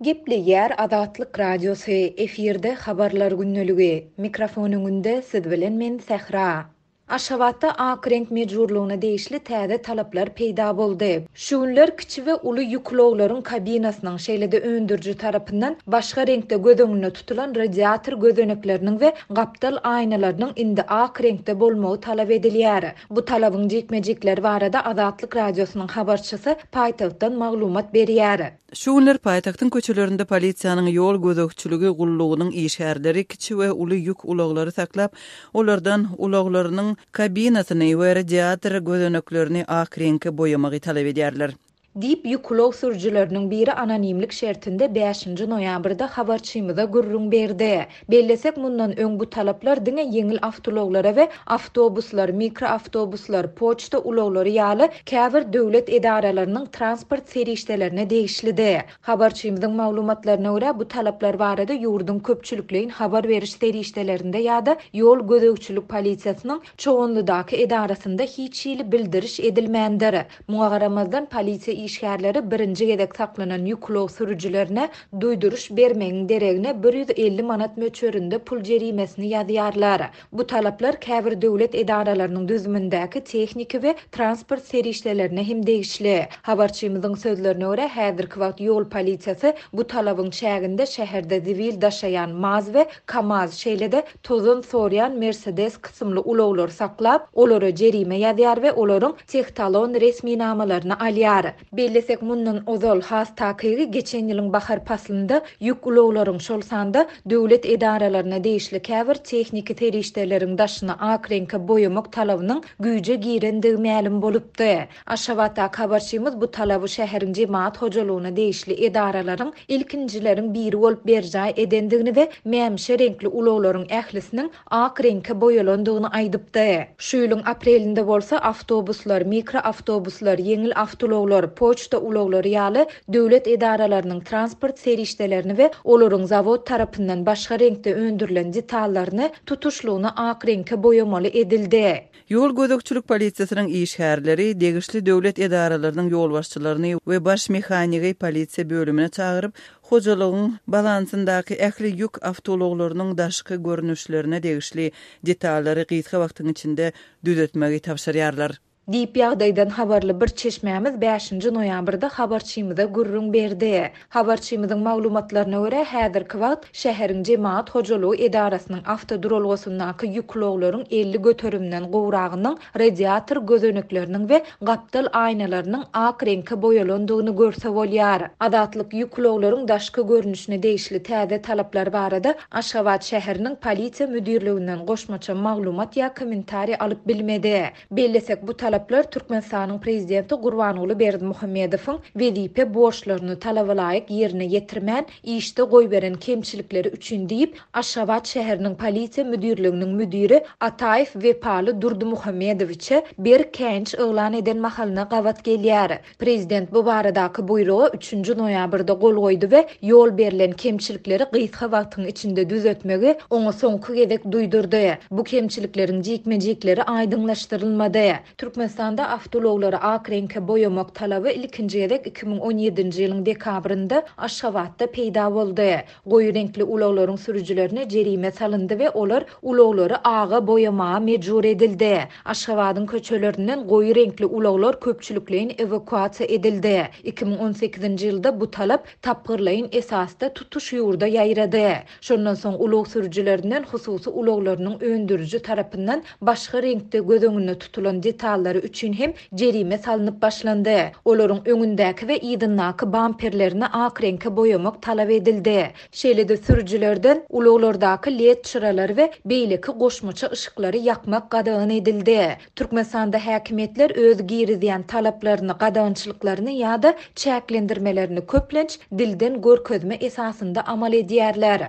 Gepleýär Azatlyk Radiosy, efirde Habarlar gündeligi. Mikrofon öňünde siz bilen men Sähra. Aşgabatda ak reňk mejburlygyna degişli täze talaplar peýda boldy. Şu günler kiçi we uly ýük ulaglaryň kabinasynyň, şeýle-de öndüriji tarapyndan başga reňkde göz öňünde tutulan radiator gözenekleriniň we gapdal aýnalarynyň indi ak reňkde bolmagy talap edilýär. Bu talabyň jikme-jikleri barada Azatlyk Radiosynyň habarçysy paýtagtdan maglumat berýär. Şu günler paýtagtyň köçelerinde polisiýanyň ýol gözegçiligi gullugynyň işgärleri kiçi we uly ýük ulaglary saklap, olardan ulaglarynyň kabinasyny we radiator gözeneklerini ak reňke boýamagy talap edýärler. Diýip, ýük ulag sürüjileriniň biri anonimlik şertinde bäşinji noýabrda habarçymyza gürrüň berdi. Bellesek, mundan öň bu talaplar diňe ýeňil awtoulaglara we awtobuslar, mikroawtobuslar, poçta ulaglary ýaly käbir döwlet edaralarynyň transport serişdelerine degişlidi. Habarçymyzyň maglumatlaryna görä, bu talaplar barada ýurduň köpçülikleýin habar beriş serişdelerinde ýa-da ýol gözegçilik polisiýasynyň Çoganlydaky edarasynda hiç hili bildiriş edilmändir. Muňa garamazdan, polisiýa işgärleri birinji gezek saklanan ýük ulag sürüjilerine duýduryş bermegiň deregine 150 manat möçberinde pul jerimesini ýazýarlar. Bu talaplar käbir döwlet edaralarynyň düzümindäki tehniki we transport serişdelerine hem degişli. Habarçymyzyň sözlerine görä, häzirki wagt ýol polisiýasy bu talabyň çäginde şäherde zibil daşaýan maz we kamaz, şeýle-de tozan sorýan Mersedes kysymly ulaglary saklap, olara jerime ýazýar we olaryň tehtalon resminamalaryny alýar. Bellesek, mundan ozal, has takygy, geçen ýylyň bahar paslynda ýük ulaglaryň, şol sanda döwlet edaralaryna degişli käbir tehniki serişdeleriň daşyny ak reňke boýamak talabynyň güýje girendigi mälim bolupdy. Aşgabatdaky habarçymyz bu talaby şäheriň jemagat hojalygyna degişli edaralaryň ilkinjileriň biri bolup berjaý edendigini we mämişi reňkli ulaglaryň ählisiniň ak reňke boýalandygyny aýdypdy. Şu ýylyň aprelinde bolsa awtobuslar, mikroawtobuslar, ýeňil awtoulaglar, poçta ulaglary ýaly döwlet edaralarynyň transport serişdelerini we olaryň zawod tarapyndan başga reňkde öndürilen detallaryny tutuşlygyna ak reňke boýamaly edildi. Ýol gözegçilik polisiýasynyň işgärleri degişli döwlet edaralarynyň ýolbaşçylaryny we baş mehanigi polisiýa bölümine çagyryp, hojalygyň balansyndaky ähli ýük awtoulaglarynyň daşky görnüşlerine degişli detallary gysga wagtyň içinde düzetmegi tabşyrýarlar. Diýip, ýagdaýdan habarly bir çeşmämiz bäşinji noýabrda habarçymyza gürrüň berdi. Habarçymyzyň maglumatlaryna görä, häzirki wagt şäheriň jemagat hojalygy edarasynyň awtoduralgasyndaky ýük ulaglaryň 50 göterimden gowragynyň radiator gözenekleriniň we gapdal aýnalarynyň ak reňke boýalandygyny görse bolýar. Azatlyk ýük ulaglaryň daşky görnüşine degişli täze talaplar barada Aşgabat şäheriniň Polisiýa müdirliginden goşmaça maglumat ýa kommentariý alyp bilmedi. Bellesek, bu talaplar Türkmenistanyň Prezidenti Gurbanguly Berdimuhamedowyň wezipe borçlaryny talabalaýyk ýerine ýetirmän, işde goýberen kemçilikleri üçin diýip, Aşgabat şäheriniň Polisiýa müdirliginiň müdiri Ataýew Wepaly Durdymuhamedowiçe berk käýinç yglan eden mahalyna gabat gelýär. Prezident bu baradaky buýruga üçünji noýabrda gol goýdy we ýol berlen kemçilikleri gysga wagtyň içinde düzetmegi oňa soňky gezek duýdurdy. Bu kemçilikleriň jikme-jikleri aýdyňlaşdyrylmady. Türkmenistanda awtoulaglary ak reňke boýamak talaby ilkinji gezek 2017-nji ýylyň dekabrynda Aşgabatda peýda boldy. Goýy reňkli ulaglaryň sürüjilerine jerime salyndy we olar ulaglary aga boýamaga mejbur edildi. Aşgabadyň köçelerinden goýy reňkli ulaglar köpçülikleýin ewakuasiýa edildi. 2018-nji ýylda bu talap tapgyrlaýyn esasda tutuş ýurda ýaýrady. Şondan soň ulag sürüjilerinden hususy ulaglarynyň öndüriji tarapyndan başga reňkde göz öňünde tutulan detallary üçin hem jerime salnyp başlandy. Olaryň öňündäki we yzyndaky bamperlerini ak reňke boýamak talap edildi. Şeýle-de sürüjilerden ulaglardaky led çyralary we beýleki goşmaça yşyklary ýakmak gadagan edildi. Türkmenistanda häkimiýetler öz girizýän talaplaryny, gadagançylyklaryny ýa-da çäklendirmelerini köplenç dilden görkezme esasynda amal edýärler.